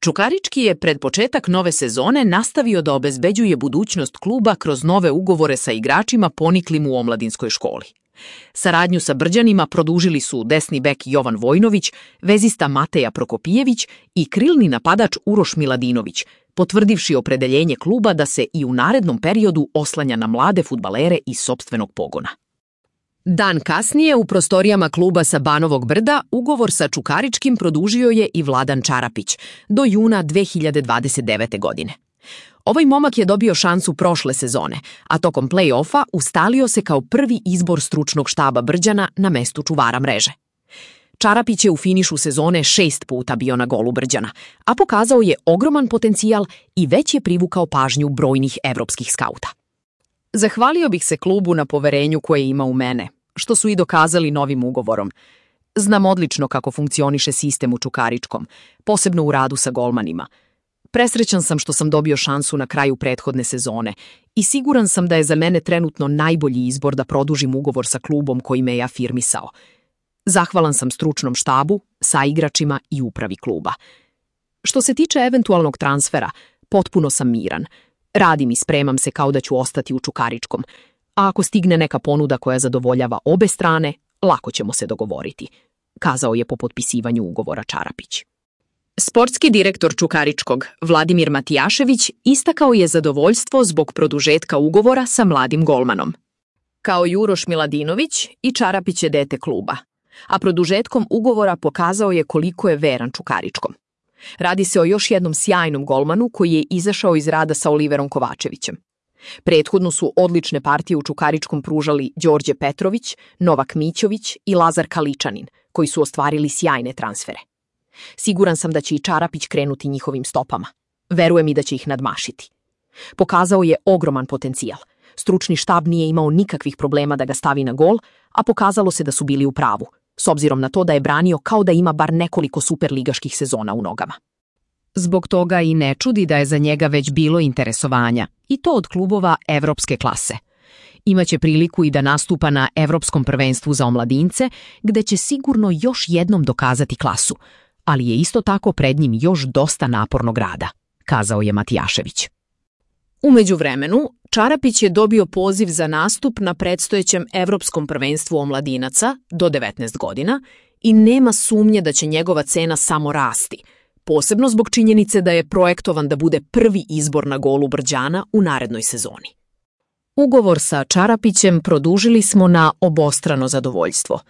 Čukarički je pred početak nove sezone nastavio da obezbeđuje budućnost kluba kroz nove ugovore sa igračima poniklim u omladinskoj školi. Saradnju sa Brđanima produžili su desni bek Jovan Vojnović, vezista Mateja Prokopijević i krilni napadač Uroš Miladinović, potvrdivši opredeljenje kluba da se i u narednom periodu oslanja na mlade fudbalere iz sopstvenog pogona. Dan kasnije u prostorijama kluba sa Banovog Brda ugovor sa Čukaričkim produžio je i Vladan Čarapić do juna 2029. godine. Ovaj momak je dobio šansu prošle sezone, a tokom play-offa ustalio se kao prvi izbor stručnog štaba Brđana na mestu čuvara mreže. Čarapić je u finišu sezone 6 puta bio na golu Brđana, a pokazao je ogroman potencijal i već je privukao pažnju brojnih evropskih skauta. Zahvalio bih se klubu na poverenju koje ima u mene, što su i dokazali novim ugovorom. Znam odlično kako funkcioniše sistem u Čukaričkom, posebno u radu sa golmanima. Presrećan sam što sam dobio šansu na kraju prethodne sezone i siguran sam da je za mene trenutno najbolji izbor da produžim ugovor sa klubom koji me je afirmisao. Zahvalan sam stručnom štabu, saigračima i upravi kluba. Što se tiče eventualnog transfera, potpuno sam miran. Radim i spremam se kao da ću ostati u Čukaričkom, a ako stigne neka ponuda koja zadovoljava obe strane, lako ćemo se dogovoriti, kazao je po potpisivanju ugovora Čarapić. Sportski direktor Čukaričkog, Vladimir Matijašević, istakao je zadovoljstvo zbog produžetka ugovora sa mladim golmanom. Kao Uroš Miladinović, i Čarapić je dete kluba, a produžetkom ugovora pokazao je koliko je veran Čukaričkom. Radi se o još jednom sjajnom golmanu koji je izašao iz rada sa Oliverom Kovačevićem. Prethodno su odlične partije u Čukaričkom pružali Đorđe Petrović, Novak Mićović i Lazar Kaličanin, koji su ostvarili sjajne transfere. Siguran sam da će i Čarapić krenuti njihovim stopama. Verujem i da će ih nadmašiti. Pokazao je ogroman potencijal. Stručni štab nije imao nikakvih problema da ga stavi na gol, a pokazalo se da su bili u pravu, s obzirom na to da je branio kao da ima bar nekoliko superligaških sezona u nogama. Zbog toga i ne čudi da je za njega već bilo interesovanja, i to od klubova evropske klase. Imaće priliku i da nastupa na Evropskom prvenstvu za omladince, gde će sigurno još jednom dokazati klasu, ali je isto tako pred njim još dosta napornog rada, kazao je Matijašević. U međuvremenu, Čarapić je dobio poziv za nastup na predstojećem Evropskom prvenstvu omladinaca do 19 godina i nema sumnje da će njegova cena samo rasti, posebno zbog činjenice da je projektovan da bude prvi izbor na golu Brđana u narednoj sezoni. Ugovor sa Čarapićem produžili smo na obostrano zadovoljstvo.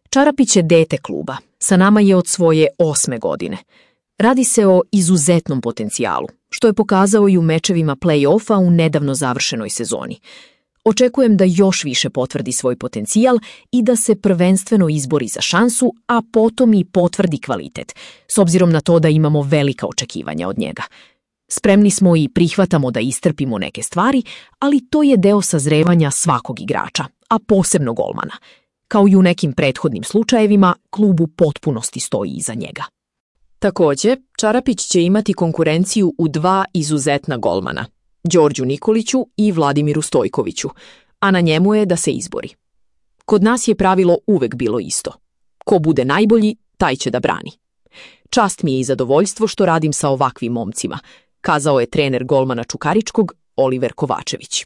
Čarapić je dete kluba, sa nama je od svoje 8. godine. Radi se o izuzetnom potencijalu, što je pokazao i u mečevima play-offa u nedavno završenoj sezoni. Očekujem da još više potvrdi svoj potencijal i da se prvenstveno izbori za šansu, a potom i potvrdi kvalitet, s obzirom na to da imamo velika očekivanja od njega. Spremni smo i prihvatamo da istrpimo neke stvari, ali to je deo sazrevanja svakog igrača, a posebno golmana. Kao i u nekim prethodnim slučajevima, klub u potpunosti stoji iza njega. Također, Čarapić će imati konkurenciju u 2 izuzetna golmana, Đorđu Nikoliću i Vladimiru Stojkoviću, a na njemu je da se izbori. Kod nas je pravilo uvek bilo isto. Ko bude najbolji, taj će da brani. Čast mi je i zadovoljstvo što radim sa ovakvim momcima, kazao je trener golmana Čukaričkog Oliver Kovačević.